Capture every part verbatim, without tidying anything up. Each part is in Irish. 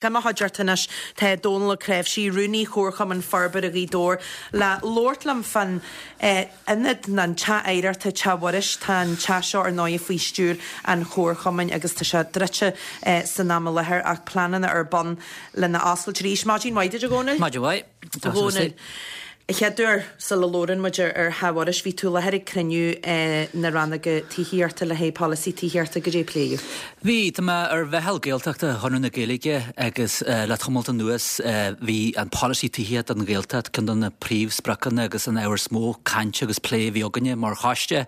I mo chuideachta anois tá Dónal Ó Creabhsí, Rúnaí Chomharchumann Forbartha Ghaoth Dobhair, le labhairt liom fán ionad nó an teach oidhreachta Teach Mhuiris. Tá an teach seo ar ndóigh faoi stiúir an Chomharchumainn agus tá sé druidte san am i láthair ach pleananna ar bun lena oscailt arís. Maidin mhaith duit, a Dhónaill. Maidin mhaith. A Dhónaill. A chéaduair, sula labhrann muid ar Theach Mhuiris, bhí tú i láthair ag cruinniú na rannóga tithíochta le haghaidh polasaí tithíochta. Goidé a pléadh? Bhí, tá mé ar mheitheal Gaeltachta Chonradh na Gaeilge agus le tamalt anuas bhí an polasaí tithíochta don Ghaeltacht ceann de na príomhspriocanna agus an ábhar is mó cainte agus plé a bhí againne mar choiste.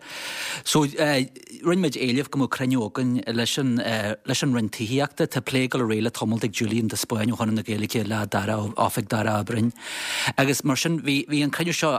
So rinne muid éileamh go mbeadh cruinniú againn leis an leis an Roinn Tithíochta. Tá plé ag dul ar aghaidh le tamalt ag Julian de Spáinn ó Chonradh na Gaeilge le Dara Oifig Darragh Ó Broin. Agus mar sin bhí bhí an cruinniú seo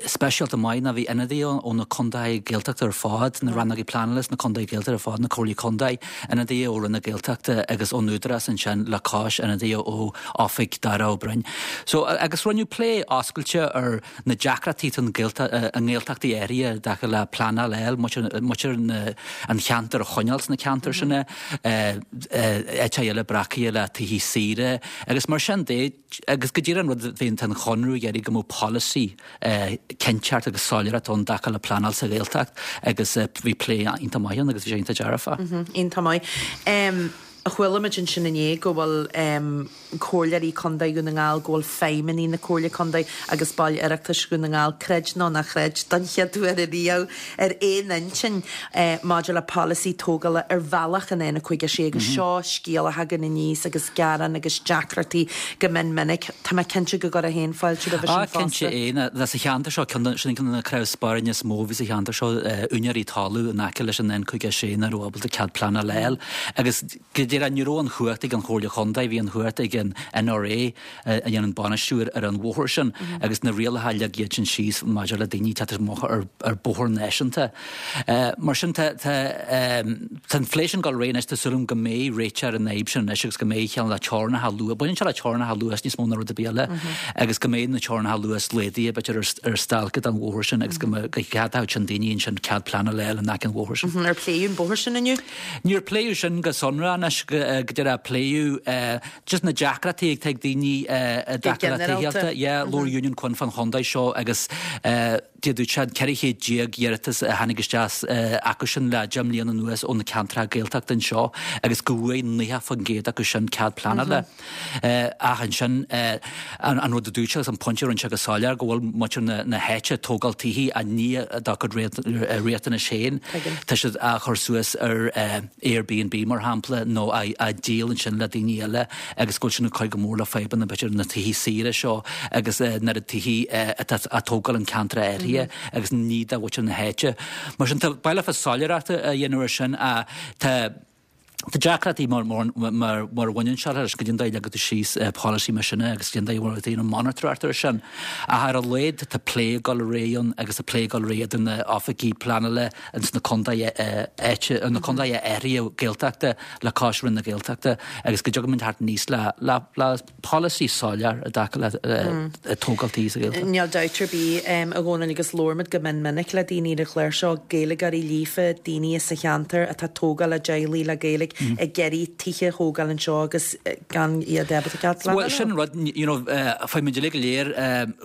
speisialta maith ná bhí ionadaithe ó na contaetha Gaeltachta ar fad, na rannógaí pleanála sna contaetha Gaeltachta ar fad, na comhairlí contae, ionadaithe ó Roinn na Gaeltachta agus ón Údarás ansin le cois ionadaithe ó Oifig Darragh Ó Broin. So agus rinneadh plé oscailte ar na deacrachtaí atá i nGaeltachtaí áirithe i dtaca le pleanáil a fháil, muintir an cheantair a choinneáil sna ceantair sin, áiteacha eile breacaithe le tithí saoire agus mar sin de agus go díreach an rud a bhíonn tá an Chonradh ag iarraidh go mbeadh polasaí cinnteacht agus soiléireacht ann i dtaca le pleanáil sa Ghaeltacht agus bhí plé iontach maith ann agus bhí sé iontach dearfach. Iontach maith. Chuala muid ansin inné go bhfuil comhairleoirí contae Dhún na nGall, go bhfuil feidhmeannaigh na Comhairle Contae agus baill Oireachtais Dhún na nGall, creid nó ná chreid, don chéad uair ariamh ar aon intinn maidir le polasaí tógála ar bhealach an N cúig a sé agus seo scéal a thagann aníos agus gearán agus deacrachtaí go mion minic. Tá mé cinnte go gcuirfeá féin fáilte roimhe sin Ah, cinnte fosta. é. Na, sa cheantar seo, ceann de, sin ceann de na cnámha spairne is mó a bhí sa cheantar seo, úinéirí talún in aice leis an N cúig a sé nach raibh ábalta cead pleanála a fháil agus go díreach ní raibh an chumhacht ag an Chomhairle Chontae, bhí an chumhacht ag an N R A a dhéanann bainistiú ar an bhóthar sin agus na rialacha a leag iad sin síos maidir le daoine teacht amach ar ar bóthar náisiúnta. Mar sin tá tá tá an phlé sin ag dul ar aghaidh anois, tá súil agam go mbeidh réiteach ar an fhadhb sin anois agus go mbeidh cineál le teorainneacha luais, baineann sé le teorainneacha luais níos mó ná rud ar bith eile agus go mbeidh na teorainneacha luais laghdaithe b'fhéidir ar ar stailce den bhóthar sin agus go mbeidh go gceadódh sin daoine ansin cead pleanála a fháil in aice an bhóthair sin. Ar pléadh an bóthar sin inniu? Níor pléadh sin go sonrach anois go díreach pléadh just na deacrachtaí atá ag daoine i dtaca le tithíochta. Yeah, labhair Union Quinn fán chontae seo agus dúirt sé ceithre chéad déag iarratas a tháinig isteach acu sin le deich mbliana anuas ó na ceantracha Gaeltachta anseo agus go bhfuair naocha faoin gcéad acu sin cead pleanála. Ach ansin an rud a dúirt sé agus an pointe a rinne sé go soiléir go bhfuil muintir na háite ag tógáil tithí a ní dá gcuid riachtanais féin. Tá siad á chur suas ar Airbnb mar shampla nó á díol ansin le daoine eile agus go bhfuil sin ag cur go mór le fadhbanna b'fhéidir na tithí saoire seo agus na tithí atá á tógáil in ceantar áirithe agus ní do mhuintir na háite. Mar sin tá baile fa soiléireachta a dhéanamh ar sin tá Tá deacrachtaí mar mar mar mar a bhaineann sé leis go dtí an dóigh a leagtar síos polasaí mar sin agus go dtí an dóigh a bhfuil an monatóireacht ar sin. Ach ar a laghad tá plé ag dul ar aghaidh ann agus tá plé ag dul ar aghaidh idir na oifigí pleanála ins na contaetha áite na contaetha áirithe Gaeltachta le cois Roinn na Gaeltachta agus go dtiocfaidh muid thart aníos le le le polasaí soiléir i dtaca le tógáil tí sa Ghaeltacht. Níl dabht ar bith a Dhónaill agus labhraímid go mion minic le daoine ar an chlár seo, Gaeilgeoirí líofa, daoine sa cheantar atá tógtha le teaghlaigh le Gaeilge ag iarraidh tithe a thógáil anseo agus gan iad ábalta cead pleanála. Bhuel sin rud, you know, fuair muid uilig go léir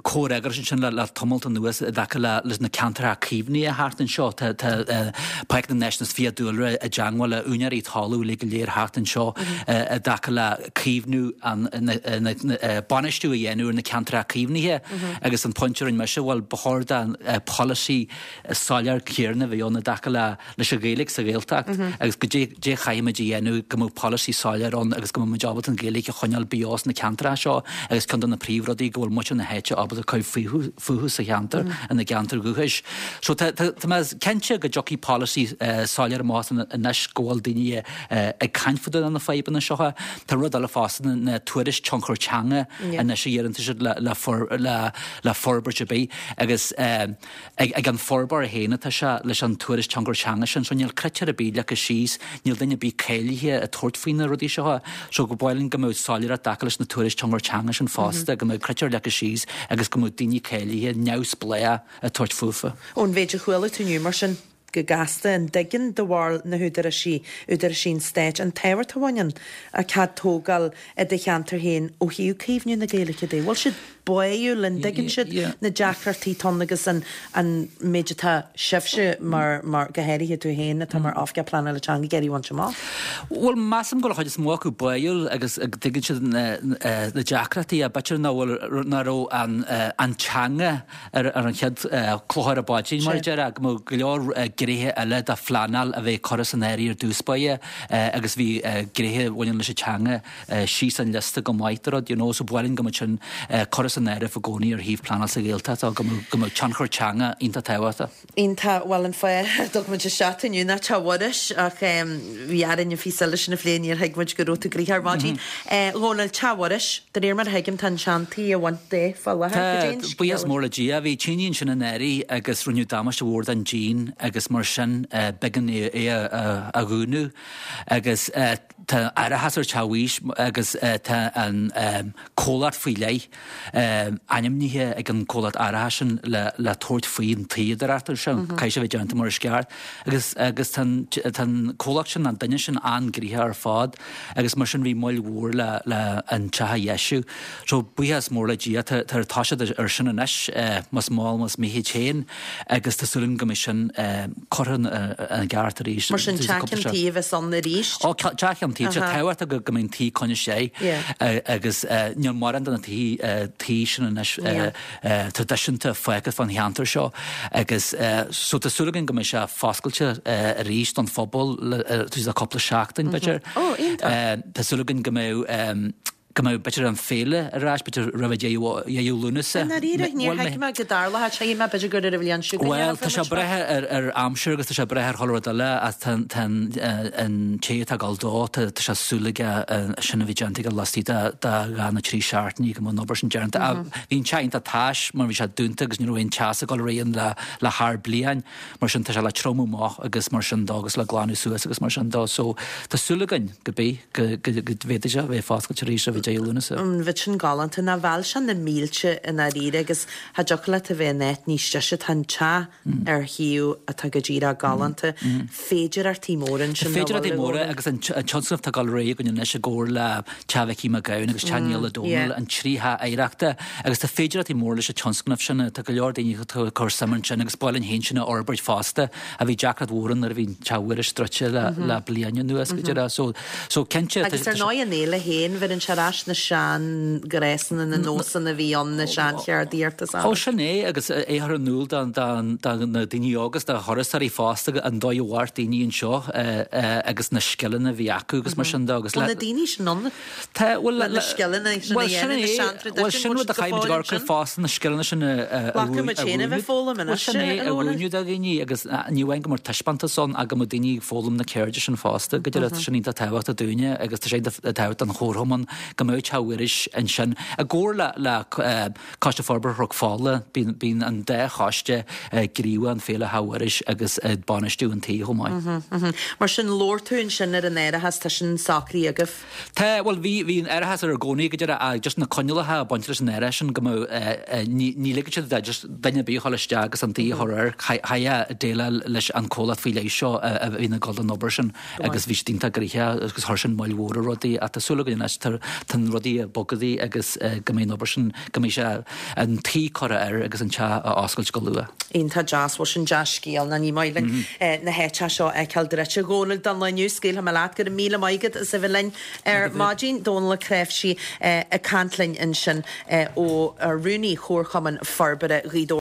comhfhreagras ansin le le tamalt anuas i dtaca le leis na ceantracha caomhnaithe thart anseo. Tá tá Páirc na Náisiún is Fiadhúlra i dteangmháil le úinéirí talún uilig go léir thart anseo i dtaca le caomhnú an na na bainistiú a dhéanamh ar na ceantracha caomhnaithe agus an pointe a rinne mise, bhuel ba chóir don polasaí soiléir céarna a bheith ann i dtaca le leis an Ghaeilge sa Ghaeltacht agus go dé dé chaithfimid a dhéanamh go mbeadh polasaí soiléir ann agus go mbeadh muid ábalta an Ghaeilge a choinneáil beo sna ceantracha seo agus ceann de na príomhrudaí go bhfuil muintir na háite ábalta cur fúthu fúthu sa cheantar ina gceantar dhúchais. So tá tá tá mé cinnte go dtiocfaidh polasaí soiléir amach anois go bhfuil daoine ag caint fá dtaobh de na fadhbanna seo. Tá rud eile fosta na na tuairisc tionchar teanga anois a iarrann siad le le for le le forbairt ar bith agus ag ag an forbróir féin atá sé leis an tuairisc tionchar teanga sin, so níl critéir ar bith leagtha síos, níl duine ar bith cáilithe ag tabhairt faoi na rudaí seo. So go b'áil linn go mbeadh soiléireacht acu leis na tuairisc tionchar teanga sin fosta, go mbeadh critéir leagtha síos agus go mbeadh daoine cáilithe neamhspleách ag tabhairt fúthu. Ón mhéid a chuala tú inniu mar sin, go gasta an dtuigeann do bharúil na húdaráisí, údaráisí an stáit, an tábhacht a bhaineann le cead tógáil i do cheantar féin ó thaobh caomhnú na Gaeilge de. Bhfuil siad báúil an dtuigeann siad na deacrachtaí atá ann agus an an méid atá sibhse mar mar go háirithe tú féin atá mar oifigeach pleanála teanga ag iarraidh a bhaint amach? Bhuel measaim go bhfuil an chuid is mó acu báúil agus tuigeann siad na na deacrachtaí a b'fhéidir nach bhfuil nach raibh an an teanga ar ar an chéad cloch ar an bpaidrín mar a déarfá go mbeadh go leor gnéithe eile de phleanáil a bheith curtha san áireamh ar dtús báire agus bhí gnéithe a bhaineann leis an teanga síos an liosta go maith de rud you know so ba mhaith linn go mbeadh sin curtha san áireamh i gcónaí ar thaobh pleanáil sa Ghaeltacht go mbeadh go mbeadh tionchar teanga iontach tábhachtach. Iontach, bhuel an fáth a dtug muid isteach inniu ná Teach Mhuiris ach bhí orainn an phíosa eile sin a phlé níor thuig muid go raibh tú gnoitheach ar maidin. Dhónaill, Teach Mhuiris, de réir mar a thuigim tá an seantigh á bhaint de fá láthair, cad é an Tá, scéal? buíochas mór le Dia, bhí tine ansin anuraidh agus rinneadh damáiste mhór don díon agus mar sin b'éigean é a dhúnadh agus tá árachas ar Teach Mhuiris agus tá an comhlacht faoi leith ainmnithe ag an comhlacht árachais sin le le tabhairt faoi an tuíodóireacht sin, caithfidh sé a bheith déanta mar is ceart agus agus tá an tá an comhlacht sin an duine sin an-ghnoitheach ar fad agus mar sin bhí moill mhór le le an teach a dheisiú. So buíochas mór le Dia tá tá tosaithe ar sin anois más mall más mithid féin agus tá súil agam go mbeidh sin curtha ina gceart arís. Mar sin teach an tí a bheas ann arís? Ó teach an tí, tá tábhachtach go mbeidh an tí coinnithe agus níl mórán de na tí sin anois traidisiúnta fágtha fán cheantar seo agus so tá súil againn go mbeidh sé foscailte arís don phobal le cúpla seachtain b'fhéidir. Tá súil againn go mbeidh go mbeidh b'fhéidir an féile ar ais b'fhéidir roimh dheireadh Lúnasa. I ndáiríre, níor thuig mé go dtarlódh sé mé b'fhéidir gur ar an bhliain seo chugainn Bhuel tá sé ag brath ar ar aimsir agus tá sé ag brath ar chuile rud eile ach tá tá an té atá ag dul dó tá tá sé súil aige sin a bheith déanta aige laistigh de de dhá nó trí seachtainí go mbeidh an obair sin déanta. Bhí an teach iontach tais mar bhí sé dúnta agus ní raibh aon teas ag dul ar aghaidh le le thar bliain mar sin tá sé le triomú amach agus mar sin dó agus le glanadh suas agus mar sin dó so tá súil againn go bí go go go bhféadfaidh sé a bheith foscailte arís roimh deireadh Lúnasa. An bheadh sin galánta ná mheall sé na mílte i ndáiríre agus cha dtiocfadh leat a bheith in áit níos deise tá an teach ar shuíomh atá go díreach galánta. Féidearthachtaí móra ansin Tá féidearthachtaí móra agus an tionscnamh atá ag dul ar aghaidh againn anois i gcomhar le Teach Mhicí Mac Gabhann agus Teach Niall Ó Dónaill an trí theach oidhreachta agus tá féidearthachtaí móra leis an tionscnamh sin tá go leor daoine atá ag cur suim ansin agus ba mhaith linn féin sin a fhorbairt fosta a bhí deacracht mhór ann nuair a bhí Teach Mhuiris druidte le le bliain anuas go deireadh so so cinnte Agus ar ndóigh an fhéile féin bheireann sé ar ais na seanghnéasanna na nósanna a bhí ann na seancheardaíocht is Ó sin é agus é a chur in iúl do do na daoine óga do thurasóirí fosta an dóigh a mhair daoine anseo agus na scileanna a bhí acu agus mar sin de agus le na daoine sin ann Tá bhuel le na scileanna sin a dhéanamh na seantraidisiúin Bhuel sin rud a chaithfimid a chur fosta na scileanna sin a Glacfaidh muid féin a bheith foghlaim anois sin é a mhúineadh do dhaoine agus ní amháin go mbeadh taispeántas ann ach go mbeadh daoine ag foghlaim na ceirde sin fosta go deireadh tá sin iontach tábhachtach dúinne agus tá sé iontach tábhachtach don chomharchumann go mbeadh Teach Mhuiris ansin i gcomhar le le Coiste Forbartha Chnoc Fola bíonn bíonn an dá choiste gníomhach in Féile Theach Mhuiris agus ag bainistiú an tí chomh maith. Mar sin labhair tú ansin ar an árachas tá sin socraithe agaibh? Tá, bhuel bhí bhí an árachas ar i gcónaí go deireadh ach just na coinníollacha ag baint leis an árachas sin go mbeadh ní ní ligfeadh siad de just duine ar bith a dhul isteach agus an tí a chur air chaithfeá déileáil leis an comhlacht faoi leith seo a bhíonn ag dul don obair sin agus bhí siad iontach gnoitheach agus chuir sin moill mhór ar rudaí ach tá súil againn anois tá tá na rudaí ag bogadh agus go mbeidh an obair sin go mbeidh sé an tí curtha air agus an teach á oscailt go luath. Iontach deas, bhuel sin dea-scéal ná ní maith linn na háiteacha seo a fheiceáil druidte. A Dhónaill don lá inniu, scaoilfidh mé leat, go raibh míle maith agat as a bheith linn ar maidin. Dónal Ó Cnáimhsí ag caint linn ansin ó Rúnaí Chomharchumann Forbartha Ghaoth Dobhair.